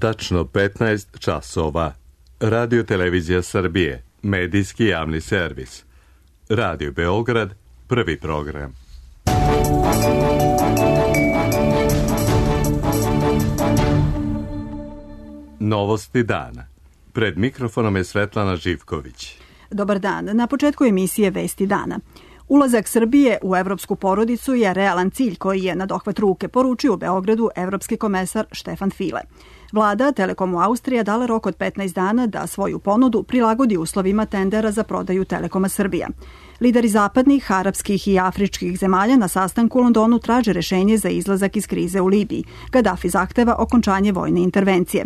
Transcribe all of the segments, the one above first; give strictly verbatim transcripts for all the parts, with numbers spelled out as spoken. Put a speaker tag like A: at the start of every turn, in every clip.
A: Tačno petnaest časova. Radio Televizija Srbije, medijski javni servis. Radio Beograd, prvi program. Novosti dana. Pred mikrofonom je Svetlana Živković.
B: Dobar dan. Na početku emisije Vesti dana. Ulazak Srbije u evropsku porodicu je realan cilj koji je na dohvat ruke poručio u Beogradu evropski komesar Štefan File. Vlada Telekomu Austrija dala rok od petnaest dana da svoju ponudu prilagodi uslovima tendera za prodaju Telekoma Srbija. Lideri zapadnih, arapskih i afričkih zemalja na sastanku u Londonu traže rešenje za izlazak iz krize u Libiji. Gadafi zahteva okončanje vojne intervencije.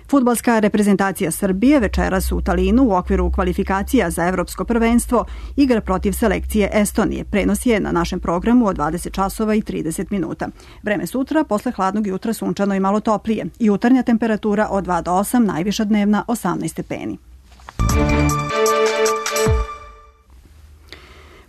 B: Fudbalska reprezentacija Srbije večeras u Talinu u okviru kvalifikacija za evropsko prvenstvo igra protiv selekcije Estonije. Prenos je na našem programu od dvadeset časova i trideset minuta. Vreme sutra, posle hladnog jutra sunčano i malo toplije. Jutarnja temperatura od dva do osam, najviša dnevna osamnaest stepeni.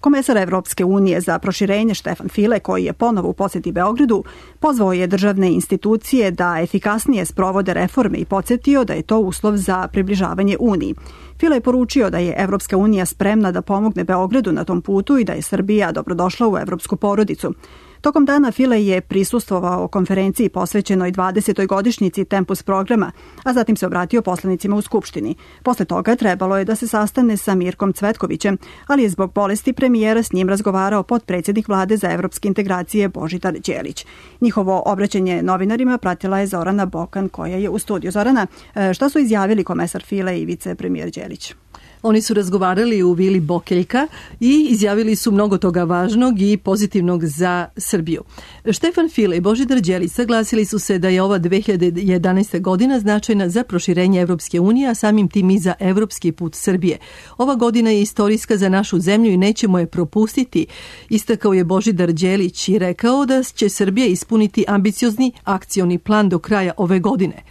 B: Komesar Evropske unije za proširenje Štefan File, koji je ponovo u poseti Beogradu, pozvao je državne institucije da efikasnije sprovode reforme i podsjetio da je to uslov za približavanje Uniji. File je poručio da je Evropska unija spremna da pomogne Beogradu na tom putu i da je Srbija dobrodošla u evropsku porodicu. Tokom dana File je prisustvovao konferenciji posvećenoj dvadesetoj godišnjici Tempus programa, a zatim se obratio poslanicima u Skupštini. Posle toga trebalo je da se sastane sa Mirkom Cvetkovićem, ali je zbog bolesti premijera s njim razgovarao potpredsjednik vlade za evropske integracije Božidar Đelić. Njihovo obraćanje novinarima pratila je Zorana Bokan, koja je u studiju. Zorana, šta su izjavili komesar File i vicepremijer Đelić?
C: Oni su razgovarali u vili Bokeljka i izjavili su mnogo toga važnog i pozitivnog za Srbiju. Štefan File i Božidar Đelić saglasili su se da je ova dve hiljade jedanaesta godina značajna za proširenje Evropske unije, a samim tim i za evropski put Srbije. Ova godina je istorijska za našu zemlju i nećemo je propustiti, istakao je Božidar Đelić i rekao da će Srbija ispuniti ambiciozni akcioni plan do kraja ove godine.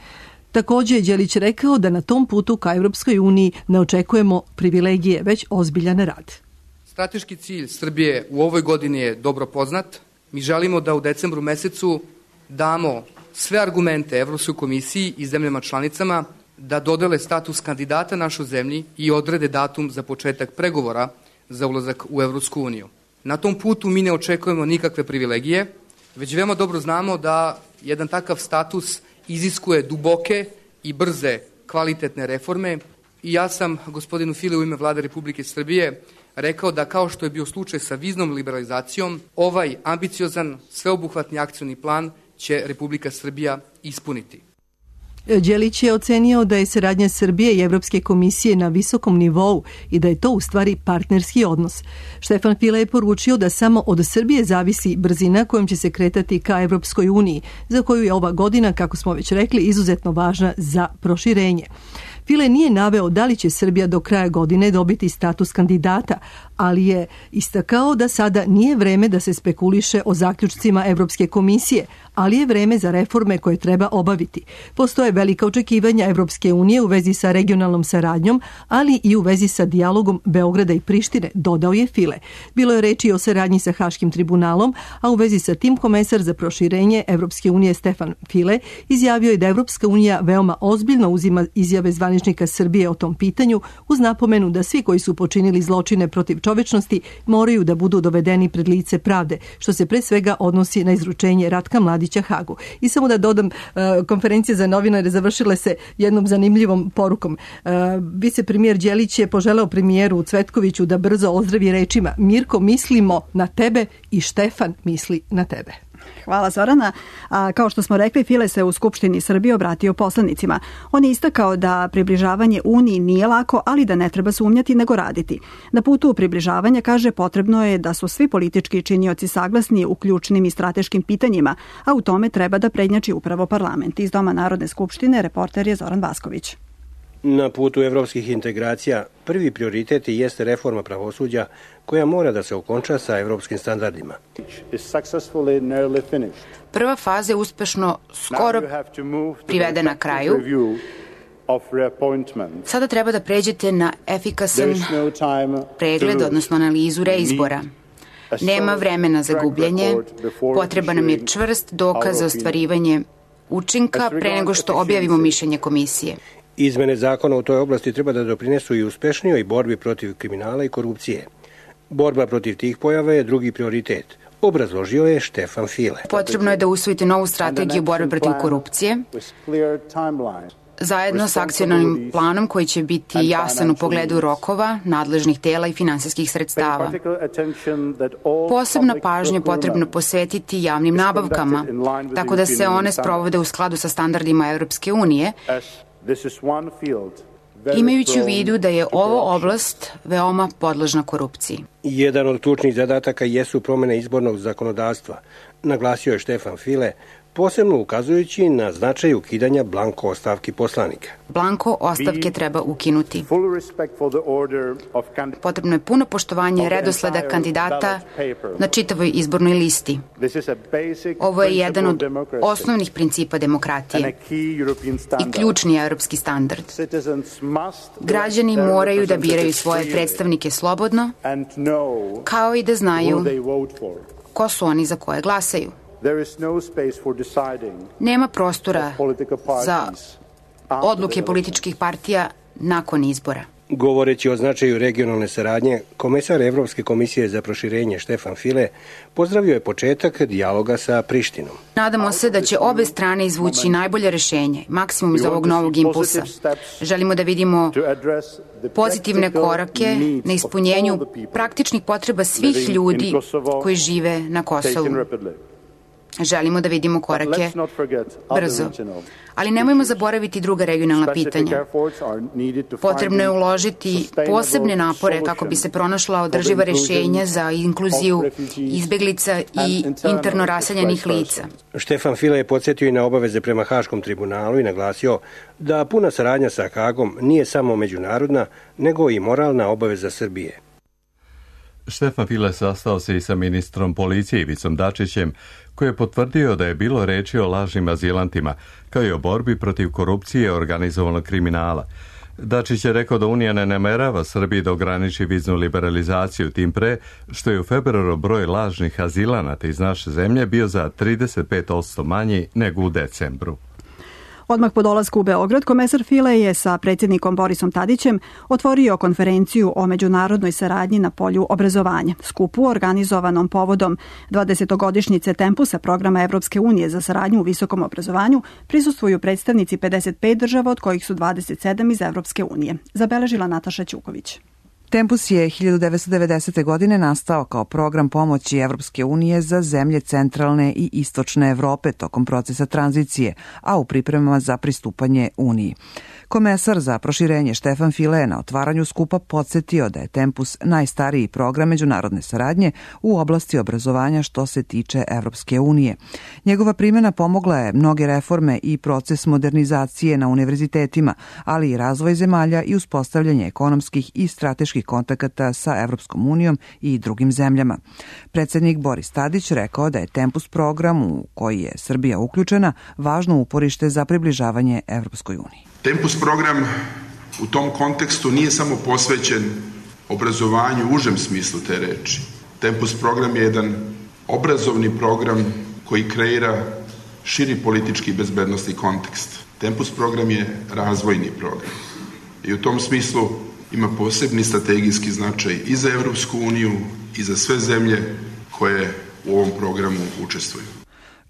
C: Također je Đelić rekao da na tom putu ka Evropskoj uniji ne očekujemo privilegije, već ozbiljan rad.
D: Strateški cilj Srbije u ovoj godini je dobro poznat. Mi želimo da u decembru mesecu damo sve argumente Evropskoj komisiji i zemljama članicama da dodele status kandidata našoj zemlji i odrede datum za početak pregovora za ulazak u Evropsku uniju. Na tom putu mi ne očekujemo nikakve privilegije, već veoma dobro znamo da jedan takav status iziskuje duboke i brze kvalitetne reforme i ja sam gospodinu File u ime Vlade Republike Srbije rekao da kao što je bio slučaj sa viznom liberalizacijom, ovaj ambiciozan sveobuhvatni akcioni plan će Republika Srbija ispuniti.
C: Đelić je ocenio da je saradnja Srbije i Evropske komisije na visokom nivou i da je to u stvari partnerski odnos. Štefan File je poručio da samo od Srbije zavisi brzina kojom će se kretati ka Evropskoj uniji, za koju je ova godina, kako smo već rekli, izuzetno važna za proširenje. File nije naveo da li će Srbija do kraja godine dobiti status kandidata, ali je istakao da sada nije vreme da se spekuliše o zaključcima Evropske komisije, ali je vreme za reforme koje treba obaviti. Postoje velika očekivanja Evropske unije u vezi sa regionalnom saradnjom, ali i u vezi sa dijalogom Beograda i Prištine, dodao je File. Bilo je reči o saradnji sa Haškim tribunalom, a u vezi sa tim komesar za proširenje Evropske unije Štefan File izjavio je da Evropska unija veoma ozbiljno uzima izjave zvaničnika Srbije o tom pitanju, uz napomenu da svi koji su počinili zločine protiv čovečnosti moraju da budu dovedeni pred lice pravde, što se pre svega odnosi na izručenje Ratka Mladića Hagu. I samo da dodam, konferencije za novinare završile se jednom zanimljivom porukom. Vicepremijer Đelić je poželeo premijeru Cvetkoviću da brzo ozdravi rečima: Mirko, mislimo na tebe i Štefan misli na tebe.
B: Hvala, Zorana. A, kao što smo rekli, File se u Skupštini Srbije obratio poslanicima. On je istakao da približavanje Uniji nije lako, ali da ne treba sumnjati nego raditi. Na putu približavanja, kaže, potrebno je da su svi politički činioci saglasni u ključnim i strateškim pitanjima, a u tome treba da prednjači upravo parlament. Iz Doma Narodne skupštine reporter je Zoran Vasković.
E: Na putu evropskih integracija prvi prioritet jeste reforma pravosuđa koja mora da se okonča sa evropskim standardima.
F: Prva faza je uspešno skoro privedena kraju. Sada treba da pređete na efikasan pregled, odnosno analizu reizbora. Nema vremena za gubljenje, potreba nam je čvrst dokaz za ostvarivanje učinka pre nego što objavimo mišljenje komisije.
E: Izmene zakona u toj oblasti treba da doprinesu i uspešnijoj borbi protiv kriminala i korupcije. Borba protiv tih pojava je drugi prioritet, obrazložio je Štefan File.
F: Potrebno je da usvojite novu strategiju borbe protiv korupcije, zajedno s akcionalnim planom koji će biti jasan u pogledu rokova, nadležnih tela i finansijskih sredstava. Posebna pažnja potrebno posvetiti javnim nabavkama, tako da se one sprovode u skladu sa standardima Evropske unije, imajući u vidu da je ovo oblast veoma podložna korupciji.
E: Jedan od ključnih zadataka jesu promene izbornog zakonodavstva, naglasio je Štefan File, posebno ukazujući na značaj ukidanja blanko ostavki poslanika.
F: Blanko ostavke treba ukinuti. Potrebno je puno poštovanje redosleda kandidata na čitavoj izbornoj listi. Ovo je jedan od osnovnih principa demokratije i ključni evropski standard. Građani moraju da biraju svoje predstavnike slobodno, kao i da znaju ko su oni za koje glasaju. Nema prostora za odluke političkih partija nakon izbora.
E: Govoreći o značaju regionalne saradnje, komesar Evropske komisije za proširenje Štefan File pozdravio je početak dijaloga sa Prištinom.
F: Nadamo se da će obe strane izvući najbolje rešenje, maksimum iz ovog novog impulsa. Želimo da vidimo pozitivne korake na ispunjenju praktičnih potreba svih ljudi koji žive na Kosovu. Želimo da vidimo korake brzo. Ali nemojmo zaboraviti druga regionalna pitanja. Potrebno je uložiti posebne napore kako bi se pronašla održiva rešenja za inkluziju izbeglica i interno raseljenih lica.
E: Štefan File je podsjetio i na obaveze prema Haškom tribunalu i naglasio da puna saradnja sa Hagom nije samo međunarodna, nego i moralna obaveza Srbije.
A: Štefan File sastao se i sa ministrom policije Ivicom Dačićem, koji je potvrdio da je bilo reči o lažnim azilantima, kao i o borbi protiv korupcije i organizovanog kriminala. Dačić je rekao da Unija ne namerava Srbiji da ograniči viznu liberalizaciju, tim pre što je u februaru broj lažnih azilanata iz naše zemlje bio za trideset pet posto manji nego u decembru.
B: Odmah po dolasku u Beograd, komesar File je sa predsjednikom Borisom Tadićem otvorio konferenciju o međunarodnoj saradnji na polju obrazovanja. Skupu organizovanom povodom dvadesetogodišnjice Tempusa programa Evropske unije za saradnju u visokom obrazovanju prisustvuju predstavnici pedeset pet država, od kojih su dvadeset sedam iz Evropske unije. Zabeležila Nataša Ćuković.
G: Tempus je hiljadu devetsto devedesete. godine nastao kao program pomoći Evropske unije za zemlje centralne i istočne Evrope tokom procesa tranzicije, a u pripremama za pristupanje Uniji. Komesar za proširenje Štefan File je na otvaranju skupa podsjetio da je Tempus najstariji program međunarodne saradnje u oblasti obrazovanja što se tiče Evropske unije. Njegova primjena pomogla je mnoge reforme i proces modernizacije na univerzitetima, ali i razvoj zemalja i uspostavljanje ekonomskih i strateških kontakata sa Evropskom unijom i drugim zemljama. Predsednik Boris Tadić rekao da je Tempus program u koji je Srbija uključena važno uporište za približavanje Evropskoj uniji.
H: Tempus program u tom kontekstu nije samo posvećen obrazovanju u užem smislu te reči. Tempus program je jedan obrazovni program koji kreira širi politički i bezbednosni kontekst. Tempus program je razvojni program i u tom smislu ima posebni strategijski značaj i za Evropsku uniju i za sve zemlje koje u ovom programu učestvuju.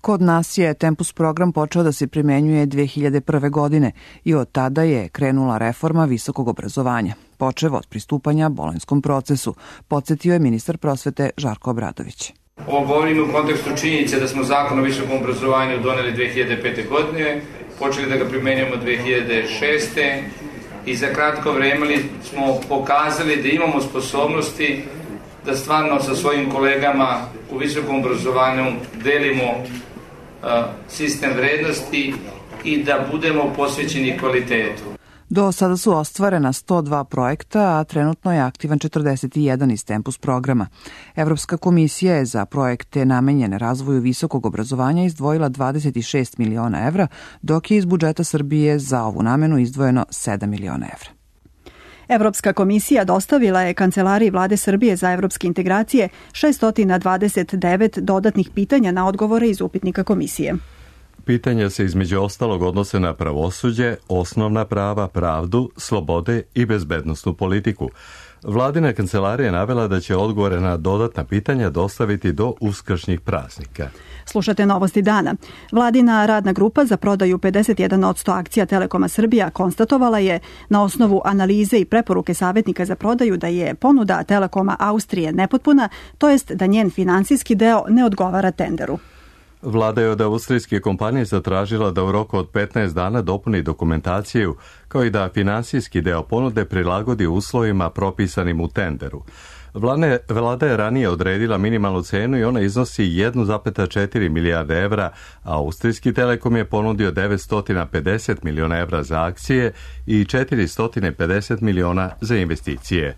G: Kod nas je Tempus program počeo da se primenjuje dve hiljade prve. godine i od tada je krenula reforma visokog obrazovanja, počev od pristupanja Bolonjskom procesu, podsjetio je ministar prosvete Žarko Obradović.
I: Ovo govorimo u kontekstu činjenice da smo zakon o visokom obrazovanju doneli dve hiljade pete. godine, počeli da ga primenjujemo dve hiljade šeste. i za kratko vreme smo pokazali da imamo sposobnosti da stvarno sa svojim kolegama u visokom obrazovanju delimo sistem vrednosti i da budemo posvećeni kvalitetu.
G: Do sada su ostvarena sto dva projekta, a trenutno je aktivan četrdeset jedan iz Tempus programa. Evropska komisija je za projekte namenjene razvoju visokog obrazovanja izdvojila dvadeset šest miliona evra, dok je iz budžeta Srbije za ovu namenu izdvojeno sedam miliona evra.
B: Evropska komisija dostavila je Kancelariji Vlade Srbije za evropske integracije šesto dvadeset devet dodatnih pitanja na odgovore iz upitnika komisije.
A: Pitanja se između ostalog odnose na pravosuđe, osnovna prava, pravdu, slobode i bezbednosnu politiku. Vladina kancelarija je navela da će odgovore na dodatna pitanja dostaviti do uskršnjih praznika.
B: Slušate novosti dana. Vladina radna grupa za prodaju pedeset jedan posto akcija Telekoma Srbija konstatovala je na osnovu analize i preporuke savjetnika za prodaju da je ponuda Telekoma Austrije nepotpuna, to jest da njen finansijski deo ne odgovara tenderu.
A: Vlada je od austrijske kompanije zatražila da u roku od petnaest dana dopuni dokumentaciju, kao i da finansijski deo ponude prilagodi uslovima propisanim u tenderu. Vlada je ranije odredila minimalnu cenu i ona iznosi jedan zarez četiri milijarde evra, a austrijski Telekom je ponudio devetsto pedeset miliona evra za akcije i četiristo pedeset miliona za investicije.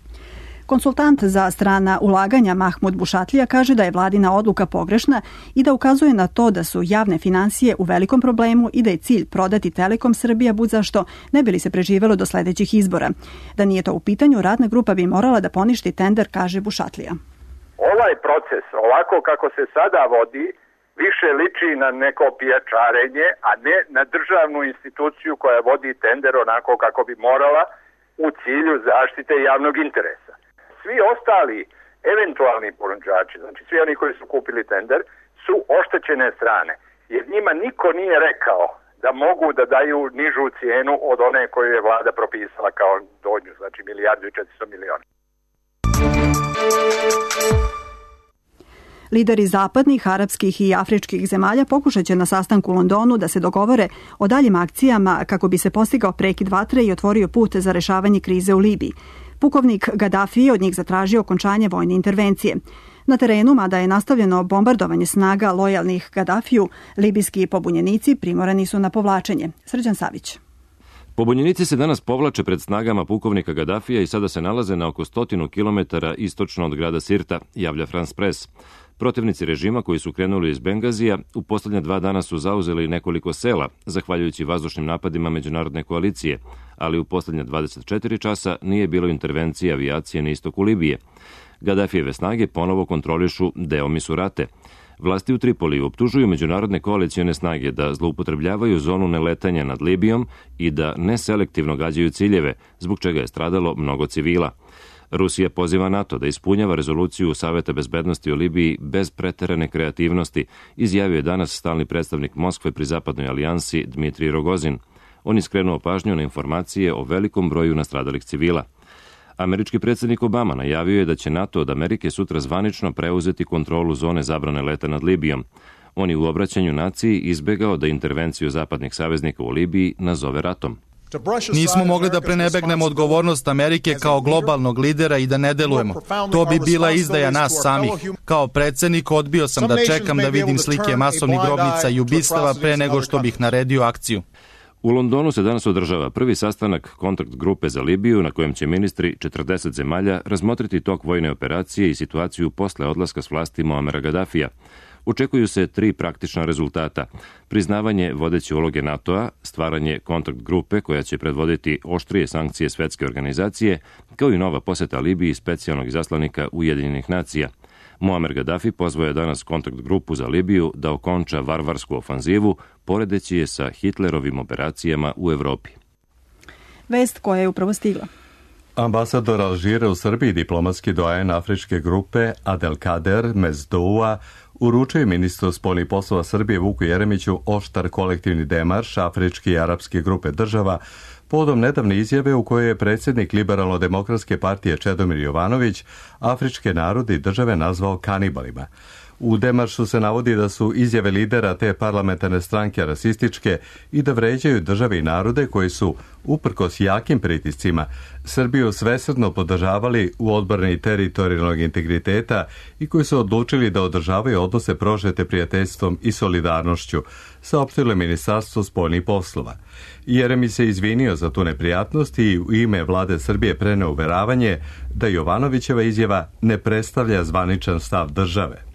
B: Konsultant za strana ulaganja Mahmud Bušatlija kaže da je vladina odluka pogrešna i da ukazuje na to da su javne finansije u velikom problemu i da je cilj prodati Telekom Srbija budzašto ne bi li se preživelo do sledećih izbora. Da nije to u pitanju, radna grupa bi morala da poništi tender, kaže Bušatlija.
J: Ovaj proces, ovako kako se sada vodi, više liči na neko pijačarenje, a ne na državnu instituciju koja vodi tender onako kako bi morala u cilju zaštite javnog interesa. Svi ostali eventualni ponuđači, znači svi oni koji su kupili tender, su oštećene strane. Jer njima niko nije rekao da mogu da daju nižu cijenu od one koju je vlada propisala kao donju, znači milijardu i četiristo miliona.
B: Lideri zapadnih, arapskih i afričkih zemalja pokušat će na sastanku u Londonu da se dogovore o daljim akcijama kako bi se postigao prekid vatre i otvorio put za rešavanje krize u Libiji. Pukovnik Gaddafi je od njih zatražio okončanje vojne intervencije. Na terenu, mada je nastavljeno bombardovanje snaga lojalnih Gaddafiju, libijski pobunjenici primorani su na povlačenje. Srđan Savić.
K: Pobunjenici se danas povlače pred snagama pukovnika Gaddafija i sada se nalaze na oko stotinu kilometara istočno od grada Sirta, javlja France Press. Protivnici režima koji su krenuli iz Bengazija u poslednja dva dana su zauzeli nekoliko sela, zahvaljujući vazdušnim napadima međunarodne koalicije, ali u poslednja dvadeset četiri časa nije bilo intervencije avijacije na istoku Libije. Gaddafijeve snage ponovo kontrolišu deo Misurate. Vlasti u Tripoliju optužuju međunarodne koalicijone snage da zloupotrebljavaju zonu neletanja nad Libijom i da neselektivno gađaju ciljeve, zbog čega je stradalo mnogo civila. Rusija poziva NATO da ispunjava rezoluciju Saveta bezbednosti o Libiji bez preterane kreativnosti, izjavio je danas stalni predstavnik Moskve pri Zapadnoj alijansi Dmitrij Rogozin. On je skrenuo pažnju na informacije o velikom broju nastradalih civila. Američki predsjednik Obama najavio je da će NATO od Amerike sutra zvanično preuzeti kontrolu zone zabrane leta nad Libijom. On je u obraćanju naciji izbegao da intervenciju zapadnih saveznika u Libiji nazove ratom.
L: Nismo mogli da prenebegnemo odgovornost Amerike kao globalnog lidera i da ne delujemo. To bi bila izdaja nas samih. Kao predsjednik odbio sam da čekam da vidim slike masovnih grobnica i ubistava pre nego što bih naredio akciju.
K: U Londonu se danas održava prvi sastanak kontakt grupe za Libiju na kojem će ministri četrdeset zemalja razmotriti tok vojne operacije i situaciju posle odlaska s vlasti Muamera Gaddafija. Očekuju se tri praktična rezultata. Priznavanje vodeće uloge NATO-a, stvaranje kontakt grupe koja će predvoditi oštrije sankcije svetske organizacije, kao i nova poseta Libiji specijalnog izaslanika Ujedinjenih nacija. Muamer Gaddafi pozvao je danas kontakt grupu za Libiju da okonča varvarsku ofanzivu, poredeći je sa Hitlerovim operacijama u Evropi.
B: Vest koja je upravo stigla.
A: Ambasador Alžira u Srbiji, diplomatski doajen afričke grupe Adelkader Mezdoua, uručuje ministru spoljnih poslova Srbije Vuku Jeremiću oštar kolektivni demarš afričke i arapske grupe država povodom nedavne izjave u kojoj je predsjednik Liberalno-demokratske partije Čedomir Jovanović afričke narode i države nazvao kanibalima. U demaršu se navodi da su izjave lidera te parlamentarne stranke rasističke i da vređaju države i narode koji su, uprkos jakim pritiscima, Srbiju svesrdno podržavali u odbrani teritorijalnog integriteta i koji su odlučili da održavaju odnose prožete prijateljstvom i solidarnošću, saopštilo je Ministarstvo spoljnih poslova. Jeremić se izvinio za tu neprijatnost i u ime vlade Srbije preneo uveravanje da Jovanovićeva izjava ne predstavlja zvaničan stav države.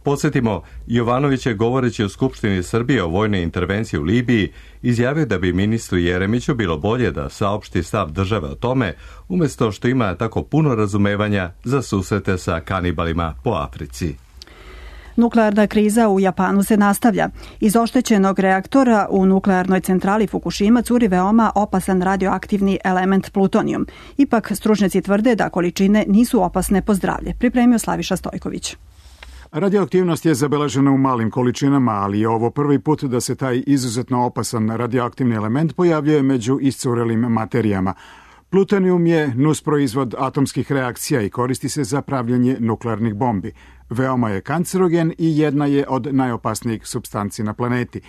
A: Podsjetimo, Jovanović je govoreći o Skupštini Srbije o vojnoj intervenciji u Libiji izjavio da bi ministru Jeremiću bilo bolje da saopšti stav države o tome, umjesto što ima tako puno razumevanja za susrete sa kanibalima po Africi.
B: Nuklearna kriza u Japanu se nastavlja. Iz oštećenog reaktora u nuklearnoj centrali Fukushima curi veoma opasan radioaktivni element plutonijum. Ipak, stručnjaci tvrde da količine nisu opasne po zdravlje. Pripremio Slaviša Stojković.
M: Radioaktivnost je zabeležena u malim količinama, ali je ovo prvi put da se taj izuzetno opasan radioaktivni element pojavljuje među iscurelim materijama. Plutonijum je nusproizvod atomskih reakcija i koristi se za pravljanje nuklearnih bombi. Veoma je kancerogen i jedna je od najopasnijih supstanci na planeti.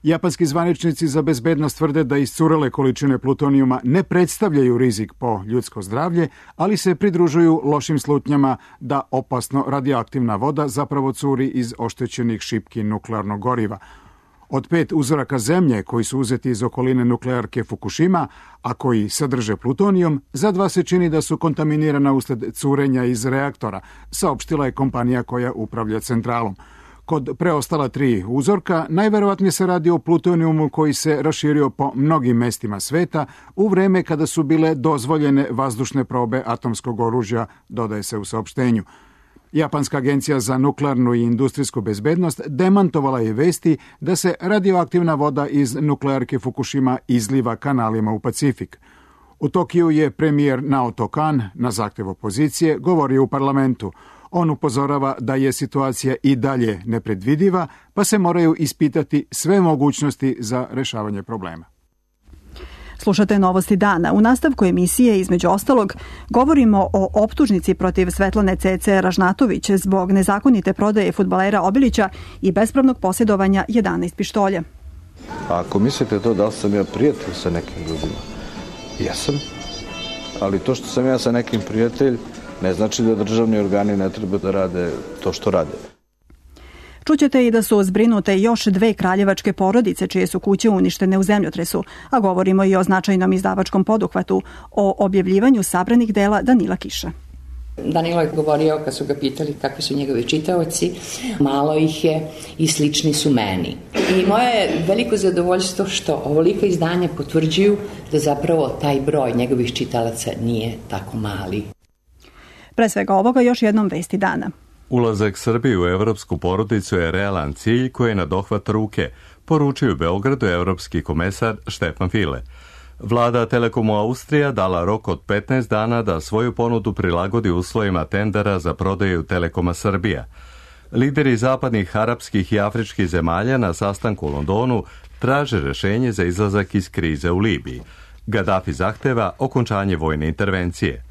M: Japanski zvaničnici za bezbednost tvrde da iscurele količine plutonijuma ne predstavljaju rizik po ljudsko zdravlje, ali se pridružuju lošim slutnjama da opasno radioaktivna voda zapravo curi iz oštećenih šipki nuklearnog goriva. Od pet uzoraka zemlje koji su uzeti iz okoline nuklearke Fukushima, a koji sadrže plutonijum, za dva se čini da su kontaminirana usled curenja iz reaktora, saopštila je kompanija koja upravlja centralom. Kod preostala tri uzorka najverovatnije se radi o plutonijumu koji se raširio po mnogim mestima sveta u vreme kada su bile dozvoljene vazdušne probe atomskog oružja, dodaje se u saopštenju. Japanska agencija za nuklearnu i industrijsku bezbednost demantovala je vesti da se radioaktivna voda iz nuklearke Fukushima izliva kanalima u Pacifik. U Tokiju je premijer Naoto Kan na zahtev opozicije govorio u parlamentu. On upozorava da je situacija i dalje nepredvidiva, pa se moraju ispitati sve mogućnosti za rešavanje problema.
B: Slušate Novosti dana. U nastavku emisije, između ostalog, govorimo o optužnici protiv Svetlane Cece Ražnatović zbog nezakonite prodaje fudbalera Obilića i bespravnog posjedovanja jedanaest pištolja.
N: Ako mislite to da li sam ja prijatelj sa nekim ljudima, jesam, ali to što sam ja sa nekim prijatelj ne znači da državni organi ne treba da rade to što rade.
B: Čućete i da su zbrinute još dve kraljevačke porodice čije su kuće uništene u zemljotresu, a govorimo i o značajnom izdavačkom poduhvatu, o objavljivanju sabranih dela Danila Kiša.
O: Danilo je govorio, kad su ga pitali kakvi su njegovi čitaoci, malo ih je i slični su meni. I moje je veliko zadovoljstvo što ovolika izdanja potvrđuju da zapravo taj broj njegovih čitalaca nije tako mali.
B: Pre svega ovoga još jednom vesti dana.
A: Ulazak Srbije u evropsku porodicu je realan cilj koji je na dohvat ruke, poručio u Beogradu evropski komesar Štefan File. Vlada Telekomu Austrija dala rok od petnaest dana da svoju ponudu prilagodi uslovima tendera za prodaju Telekoma Srbija. Lideri zapadnih arapskih i afričkih zemalja na sastanku u Londonu traže rešenje za izlazak iz krize u Libiji. Gaddafi zahteva okončanje vojne intervencije.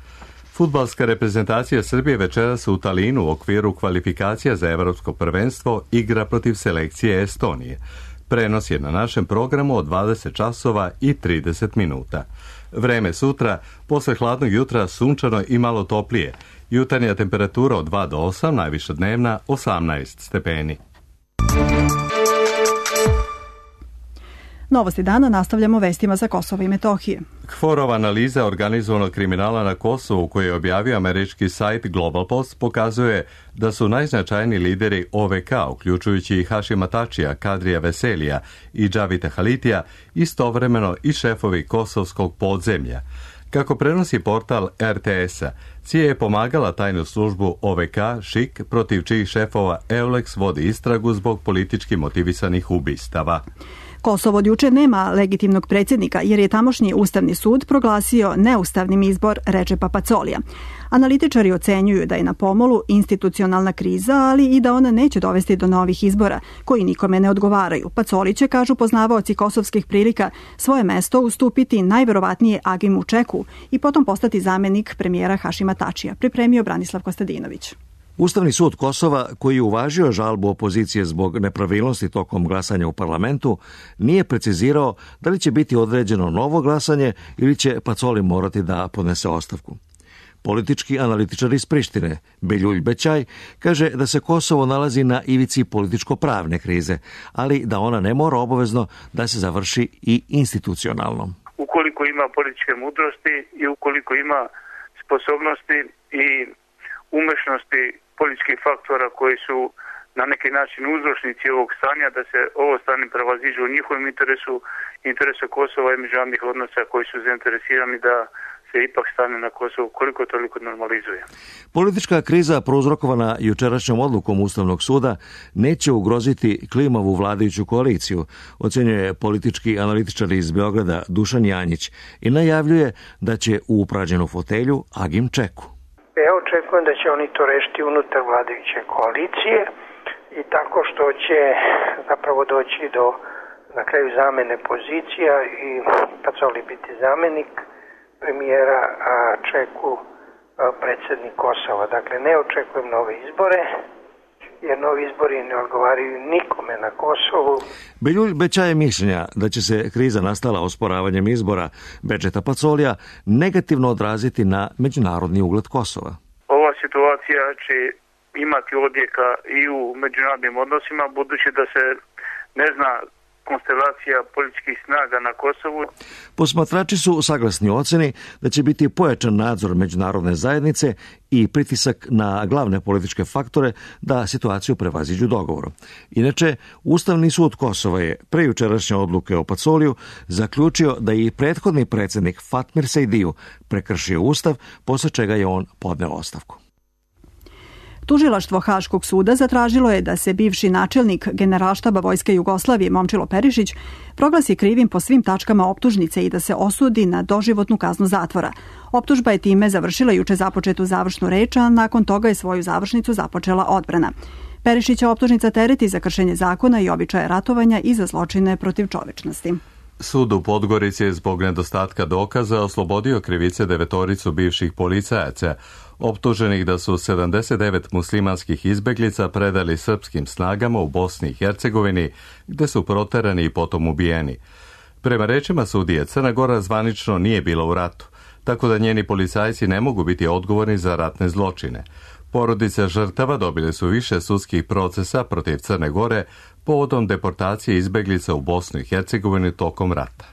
A: Fudbalska reprezentacija Srbije večeras u Talinu u okviru kvalifikacija za evropsko prvenstvo igra protiv selekcije Estonije. Prenos je na našem programu od dvadeset časova i trideset minuta. Vreme sutra, posle hladnog jutra sunčano i malo toplije. Jutarnja temperatura od dva do osam, najviša dnevna osamnaest stepeni.
B: Novosti dana nastavljamo vestima za Kosovo i Metohije.
A: Kforova analiza organizovanog kriminala na Kosovu koju je objavio američki sajt Global Post pokazuje da su najznačajniji lideri O V K, uključujući i Hašima Tačija, Kadrija Veselija i Džavita Halitija, istovremeno i šefovi kosovskog podzemlja. Kako prenosi portal R T S-a, C I A je pomagala tajnu službu O V K, Šik, protiv čijih šefova Eulex vodi istragu zbog politički motivisanih ubistava.
B: Kosovo od juče nema legitimnog predsjednika jer je tamošnji Ustavni sud proglasio neustavnim izbor Redžepa Pacolija. Analitičari ocenjuju da je na pomolu institucionalna kriza, ali i da ona neće dovesti do novih izbora, koji nikome ne odgovaraju. Pacoli će, kažu poznavaoci kosovskih prilika, svoje mesto ustupiti najverovatnije Agimu Čeku i potom postati zamenik premijera Hašima Tačija, pripremio Branislav Kostadinović.
P: Ustavni sud Kosova, koji je uvažio žalbu opozicije zbog nepravilnosti tokom glasanja u parlamentu, nije precizirao da li će biti određeno novo glasanje ili će Pacoli morati da podnese ostavku. Politički analitičar iz Prištine, Beljulj Bećaj, kaže da se Kosovo nalazi na ivici političko-pravne krize, ali da ona ne mora obavezno da se završi i institucionalno.
Q: Ukoliko ima političke mudrosti i ukoliko ima sposobnosti i umešnosti političkih faktora koji su na neki način uzročnici ovog stanja, da se ovo stanje prevaziđe u njihovom interesu, interesu Kosova i međunarodnih odnosa koji su zainteresirani da se ipak stane na Kosovu koliko toliko normalizuje.
P: Politička kriza prouzrokovana jučerašnjom odlukom Ustavnog suda neće ugroziti klimavu vladajuću koaliciju, ocenjuje politički analitičar iz Beograda Dušan Janjić i najavljuje da će u upražnjenu fotelju Agim Čeku.
R: Ja očekujem da će oni to rešiti unutar vladajuće koalicije i tako što će zapravo doći do na kraju zamene pozicija i Pacoli biti zamenik premijera, a Čeku predsjednik Kosova. Dakle, ne očekujem nove izbore, jer novi izbori ne odgovaraju nikome na Kosovu.
P: Beljulj Bećaje mišljenja da će se kriza nastala osporavanjem izbora Bedžeta Pacolija negativno odraziti na međunarodni ugled Kosova.
Q: Ova situacija će imati odjeka i u međunarodnim odnosima, budući da se ne zna konstelacija političkih snaga na Kosovu.
P: Posmatrači su saglasni oceni da će biti pojačan nadzor međunarodne zajednice i pritisak na glavne političke faktore da situaciju prevaziđu dogovorom. Inače, Ustavni sud Kosova je pre jučerašnje odluke o Pacoliju zaključio da je i prethodni predsjednik Fatmir Sejdiju prekršio Ustav, posle čega je on podneo ostavku.
B: Tužilaštvo Haškog suda zatražilo je da se bivši načelnik Generalštaba Vojske Jugoslavije Momčilo Perišić proglasi krivim po svim tačkama optužnice i da se osudi na doživotnu kaznu zatvora. Optužba je time završila juče započetu završnu reč, a nakon toga je svoju završnicu započela odbrana. Perišića optužnica tereti za kršenje zakona i običaje ratovanja i za zločine protiv čovečnosti.
A: Sud u Podgorici je zbog nedostatka dokaza oslobodio krivice devetoricu bivših policajaca, optuženih da su sedamdeset devet muslimanskih izbeglica predali srpskim snagama u Bosni i Hercegovini, gde su proterani i potom ubijeni. Prema rečima sudije, Crna Gora zvanično nije bila u ratu, tako da njeni policajci ne mogu biti odgovorni za ratne zločine. Porodice žrtava dobile su više sudskih procesa protiv Crne Gore povodom deportacije izbeglica u Bosnu i Hercegovini tokom rata.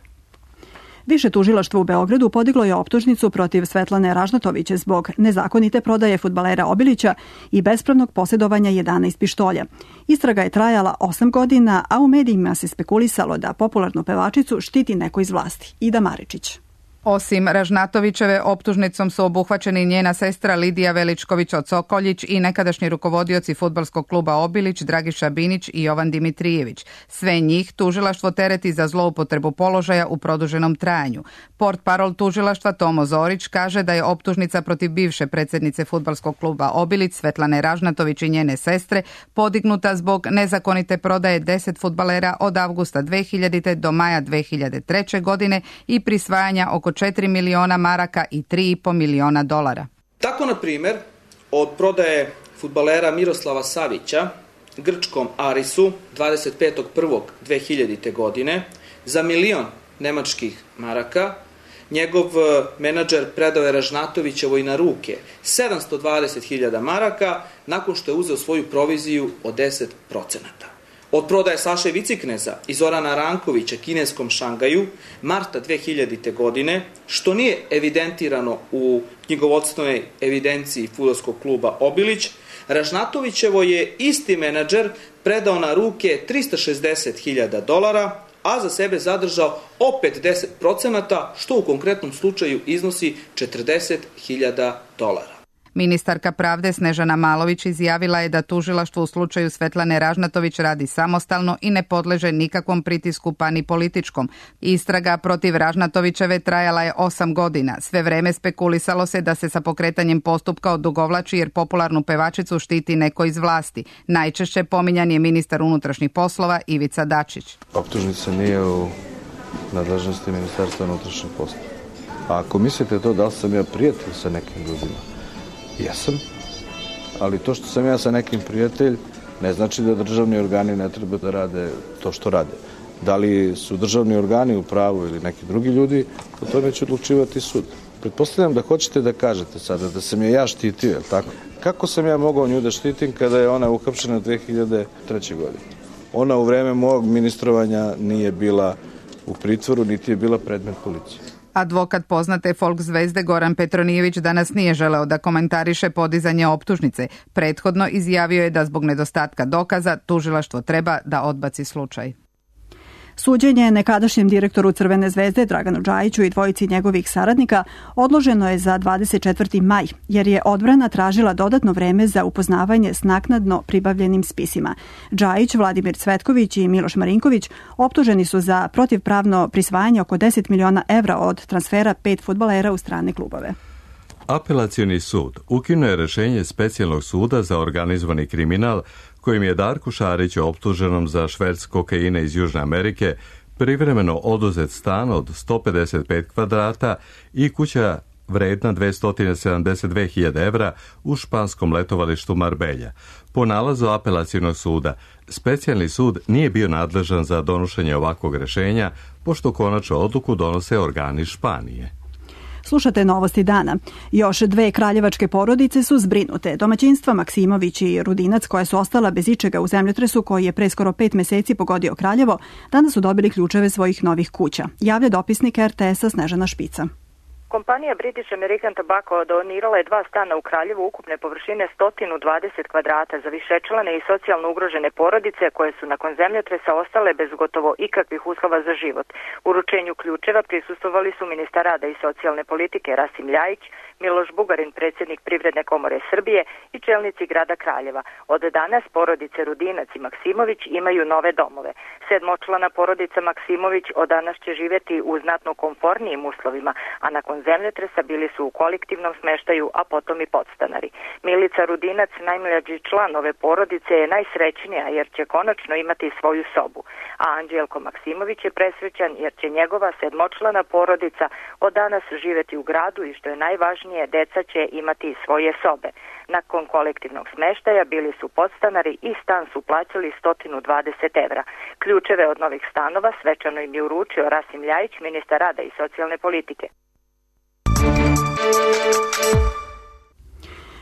B: Više tužilaštvo u Beogradu podiglo je optužnicu protiv Svetlane Ražnatović zbog nezakonite prodaje fudbalera Obilića i bespravnog posjedovanja jedanaest pištolja. Istraga je trajala osam godina, a u medijima se spekulisalo da popularnu pevačicu štiti neko iz vlasti. Ida Maričić.
S: Osim Ražnatovićeve, optužnicom su obuhvaćeni njena sestra Lidija Veličković-Osokoljić i nekadašnji rukovodioci fudbalskog kluba Obilić, Dragiša Binić i Jovan Dimitrijević. Sve njih tužilaštvo tereti za zloupotrebu položaja u produženom trajanju. Portparol tužilaštva Tomo Zorić kaže da je optužnica protiv bivše predsjednice fudbalskog kluba Obilić, Svetlane Ražnatović i njene sestre, podignuta zbog nezakonite prodaje deset fudbalera od avgusta dve hiljadite. do maja dve hiljade treće. godine i prisvajanja oko četiri miliona maraka i tri i po miliona dolara.
T: Tako, na primjer, od prodaje fudbalera Miroslava Savića grčkom Arisu dvadeset petog prvog dve hiljadite. godine za milion nemačkih maraka, njegov menadžer predao je Ražnatovićevoj na ruke sedamsto dvadeset hiljada maraka nakon što je uzeo svoju proviziju od deset procenata. Od prodaje Saše Vicikneza i Zorana Rankovića kineskom Šangaju marta dve hiljadite. godine, što nije evidentirano u knjigovodstvenoj evidenciji fudbalskog kluba Obilić, Ražnatovićevo je isti menadžer predao na ruke trista šezdeset hiljada dolara, a za sebe zadržao opet deset procenata, što u konkretnom slučaju iznosi četrdeset hiljada dolara.
S: Ministarka pravde Snežana Malović izjavila je da tužilaštvo u slučaju Svetlane Ražnatović radi samostalno i ne podleže nikakvom pritisku pa ni političkom. Istraga protiv Ražnatovićeve trajala je osam godina. Sve vreme spekulisalo se da se sa pokretanjem postupka odugovlači jer popularnu pevačicu štiti neko iz vlasti. Najčešće pominjan je ministar unutrašnjih poslova Ivica Dačić.
N: Optužnica nije u nadležnosti Ministarstva unutrašnjih poslova. A ako mislite to da li sam ja prijatelj sa nekim ljudima, jesam, ali to što sam ja sa nekim prijatelj ne znači da državni organi ne treba da rade to što rade. Da li su državni organi u pravu ili neki drugi ljudi, o tome će odlučivati sud. Pretpostavljam da hoćete da kažete sada da sam je ja štitio, je li tako? Kako sam ja mogao nju da štitim kada je ona uhapšena dve hiljade treće. godine? Ona u vreme mog ministrovanja nije bila u pritvoru, niti je bila predmet policije.
S: Advokat poznate folk zvezde Goran Petronijević danas nije želeo da komentariše podizanje optužnice. Prethodno izjavio je da zbog nedostatka dokaza tužilaštvo treba da odbaci slučaj.
B: Suđenje nekadašnjem direktoru Crvene zvezde Draganu Džajiću i dvojici njegovih saradnika odloženo je za dvadeset četvrti maj, jer je odbrana tražila dodatno vreme za upoznavanje s naknadno pribavljenim spisima. Džajić, Vladimir Cvetković i Miloš Marinković optuženi su za protivpravno prisvajanje oko deset miliona evra od transfera pet fudbalera u strane klubove.
A: Apelacioni sud ukinuo je rešenje specijalnog suda za organizovani kriminal kojim je Darku Šariću, optuženom za šverc kokaina iz Južne Amerike, privremeno oduzet stan od sto pedeset pet kvadrata i kuća vredna dvesta sedamdeset dve hiljade evra u španskom letovalištu Marbelja. Po nalazu apelacionog suda, specijalni sud nije bio nadležan za donošenje ovakvog rešenja, pošto konačnu odluku donose organi Španije.
B: Slušate Novosti dana. Još dve kraljevačke porodice su zbrinute. Domaćinstva Maksimović i Rudinac, koja su ostala bez ičega u zemljotresu koji je pre skoro pet meseci pogodio Kraljevo, danas su dobili ključeve svojih novih kuća. Javlja dopisnik er te esa Snežana Špica.
U: Kompanija British American Tobacco donirala je dva stana u Kraljevu ukupne površine sto dvadeset kvadrata za višečlane i socijalno ugrožene porodice koje su nakon zemljotresa ostale bez gotovo ikakvih uslova za život. Uručenju ključeva prisustvovali su ministar rada i socijalne politike Rasim Ljajić, Miloš Bugarin, predsjednik Privredne komore Srbije i čelnici grada Kraljeva. Od danas porodice Rudinac i Maksimović imaju nove domove. Sedmočlana porodica Maksimović od danas će živjeti u znatno komfornijim uslovima, a nakon zemljotresa bili su u kolektivnom smeštaju, a potom i podstanari. Milica Rudinac, najmlađi član ove porodice, je najsrećnija jer će konačno imati svoju sobu, a Anđelko Maksimović je presrećan jer će njegova sedmočlana porodica od danas živjeti u gradu i što je najvažnije, deca će imati svoje sobe. Nakon kolektivnog smeštaja bili su podstanari i stan su plaćali sto dvadeset evra. Ključeve od novih stanova svečano im je uručio Rasim Ljajić, ministar rada i socijalne politike.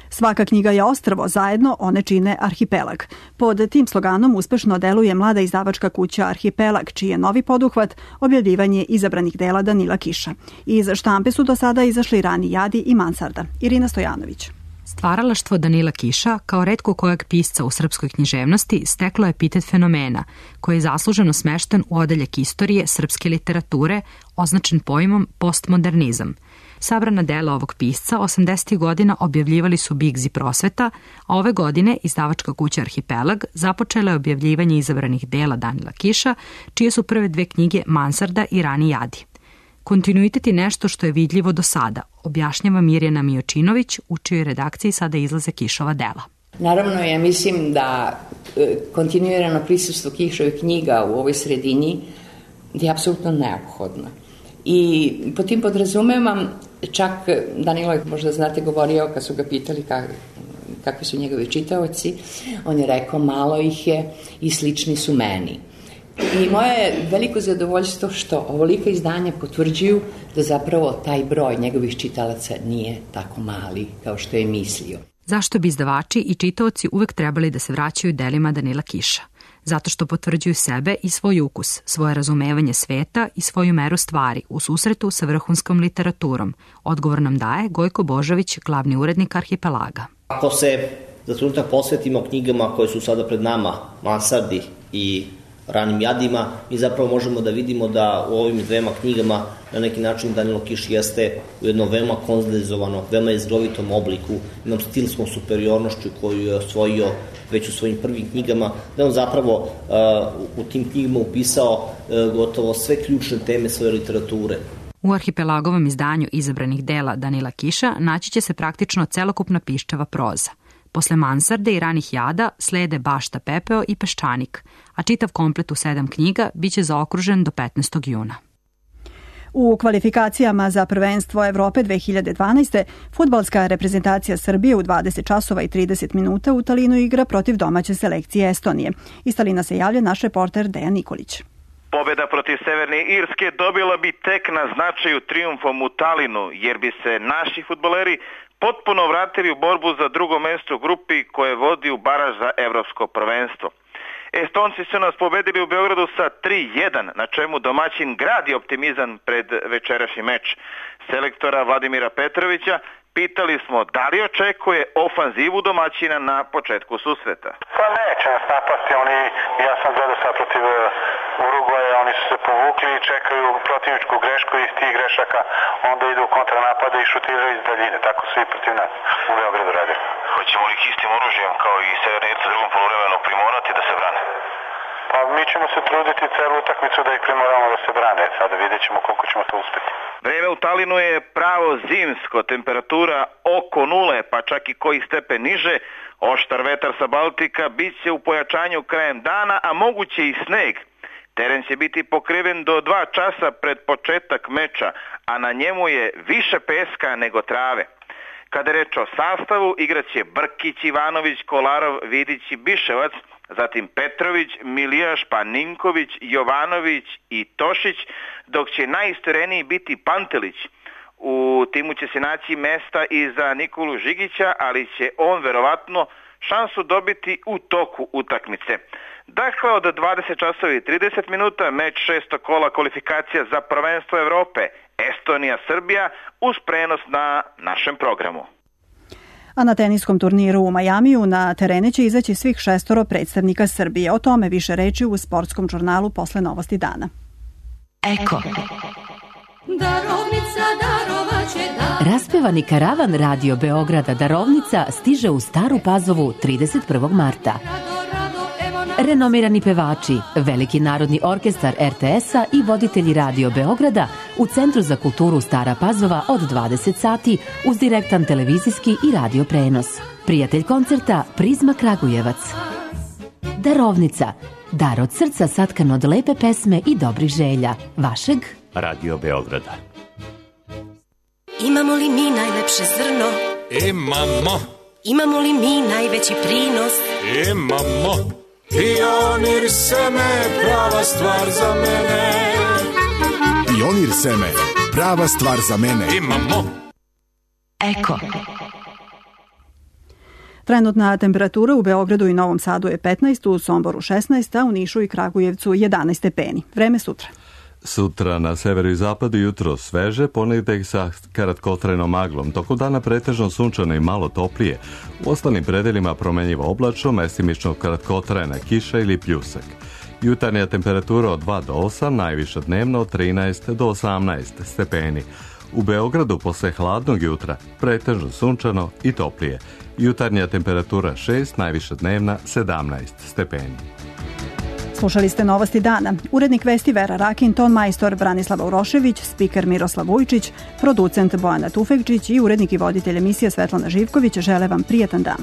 B: Svaka knjiga je ostrvo, zajedno one čine arhipelag. Pod tim sloganom uspešno deluje mlada izdavačka kuća Arhipelag, čiji je novi poduhvat objavljivanje izabranih dela Danila Kiša. Iz štampe su do sada izašli Rani Jadi i Mansarda. Irina Stojanović.
V: Stvaralaštvo Danila Kiša, kao retko kojeg pisca u srpskoj književnosti, steklo je epitet fenomena, koji je zasluženo smešten u odeljak istorije srpske literature, označen pojmom postmodernizam. Sabrana dela ovog pisca osamdesetih godina objavljivali su Bigz i Prosveta, a ove godine izdavačka kuća Arhipelag započela je objavljivanje izabranih dela Danila Kiša, čije su prve dve knjige Mansarda i Rani Jadi. Kontinuitet je nešto što je vidljivo do sada, objašnjava Mirjana Mijočinović, u čijoj redakciji sada izlaze Kišova dela.
O: Naravno, ja mislim da kontinuirano prisustvo Kišovih knjiga u ovoj sredini je apsolutno neophodno. I po tim podrazumevam, čak Danilo je, možda znate, govorio kad su ga pitali kak, kakvi su njegovi čitaoci, on je rekao malo ih je i slični su meni. I moje je veliko zadovoljstvo što ovolika izdanja potvrđuju da zapravo taj broj njegovih čitalaca nije tako mali kao što je mislio.
V: Zašto bi izdavači i čitaoci uvek trebali da se vraćaju delima Danila Kiša? Zato što potvrđuju sebe i svoj ukus, svoje razumevanje sveta i svoju meru stvari u susretu sa vrhunskom literaturom. Odgovor nam daje Gojko Božović, glavni urednik Arhipelaga.
W: Ako se za trenutak posvetimo knjigama koje su sada pred nama, Mansardi i Ranim Jadima, mi zapravo možemo da vidimo da u ovim dvema knjigama na neki način Danilo Kiš jeste u jednom veoma kondenzovanom, veoma jezgrovitom obliku, jednom stilskom superiornošću koju je osvojio već u svojim prvim knjigama, da on zapravo uh, u tim knjigama upisao uh, gotovo sve ključne teme svoje literature.
V: U Arhipelagovom izdanju izabranih dela Danila Kiša naći će se praktično celokupna piščava proza. Posle Mansarde i Ranih Jada slede Bašta pepeo i Peščanik, a čitav komplet u sedam knjiga biće zaokružen do petnaestog juna.
B: U kvalifikacijama za prvenstvo Evrope dve hiljade dvanaeste. fudbalska reprezentacija Srbije u dvadeset časova i trideset minuta u Talinu igra protiv domaće selekcije Estonije. Iz Talina se javlja naš reporter Dejan Nikolić.
X: Pobjeda protiv Severne Irske dobila bi tek na značaju trijumfom u Talinu, jer bi se naši fudbaleri potpuno vratili u borbu za drugo mesto u grupi koje vodi u baraž za evropsko prvenstvo. Estonci su nas pobedili u Beogradu sa tri jedan, na čemu domaćin gradi optimizam pred večerašnji meč. Selektora Vladimira Petrovića pitali smo da li očekuje ofanzivu domaćina na početku susreta.
Y: Pa neće nas napasti, oni, ja sam
C: gledao sad protiv Urugvaja, oni su se povukli i čekaju protivničku grešku i tih grešaka onda idu u kontranapade i šutiraju iz daljine. Tako su i protiv nas u Beogradu radili.
X: Hoćemo li ih istim oružjem kao i Severni Irci u drugom poluvremenu primorati da se brane?
C: Pa mi ćemo se truditi celu utakmicu da ih primoramo da se brane. Sada vidjet ćemo koliko ćemo to uspeti.
X: Vreme u Talinu je pravo zimsko, temperatura oko nule, pa čak i koji stepen niže. Oštar vetar sa Baltika bit će u pojačanju krajem dana, a moguće i sneg. Teren će biti pokriven do dva časa pred početak meča, a na njemu je više peska nego trave. Kada je reč o sastavu, igraće Brkić, Ivanović, Kolarov, Vidić i Biševac, zatim Petrović, Milijaš, pa Ninković, Jovanović i Tošić, dok će najistoreniji biti Pantelić. U timu će se naći mesta i za Nikolu Žigića, ali će on verovatno šansu dobiti u toku utakmice. Dakle, od dvadeset časova i trideset minuta meč šesto kola kvalifikacija za prvenstvo Evrope Estonija-Srbija uz prenos na našem programu.
B: A na teniskom turniru u Majamiju na terene će izaći svih šestoro predstavnika Srbije. O tome više reči u sportskom žurnalu posle Novosti dana.
D: Eko. Darovnica darovaće da... Raspevani karavan Radio Beograda Darovnica stiže u Staru Pazovu trideset prvog marta. Renomirani pevači, Veliki narodni orkestar er te es-a i voditelji Radio Beograda u Centru za kulturu Stara Pazova od dvadeset sati uz direktan televizijski i radio prenos. Prijatelj koncerta Prizma Kragujevac. Darovnica. Dar od srca satkan od lepe pesme i dobrih želja. Vašeg
E: Radio Beograda.
F: Imamo li mi najlepše zrno?
Y: Imamo.
F: Imamo li mi najveći prinos?
Y: Imamo. Pionir seme, prava stvar za mene.
Z: Pionir seme, prava stvar za mene.
Y: Imamo.
D: Eko.
B: Trenutna temperatura u Beogradu i Novom Sadu je petnaest, u Somboru šesnaest, a u Nišu i Kragujevcu jedanaest stepeni. Vreme sutra.
A: Sutra na severu i zapadu jutro sveže, ponedjeljak sa kratkotrajnom maglom, tokom dana pretežno sunčano i malo toplije. U ostalim predeljima promenjivo oblačno, mestimično kratkotrajna kiša ili pljusak. Jutarnja temperatura od dva do osam, najviša dnevno od trinaest do osamnaest stepeni. U Beogradu posle hladnog jutra pretežno sunčano i toplije. Jutarnja temperatura šest, najviša dnevna sedamnaest stepeni.
B: Slušali ste Novosti dana. Urednik vesti Vera Rakin, ton majstor Branislava Urošević, spiker Miroslav Vujčić, producent Bojana Tufekčić i urednik i voditelj emisije Svetlana Živković žele vam prijatan dan.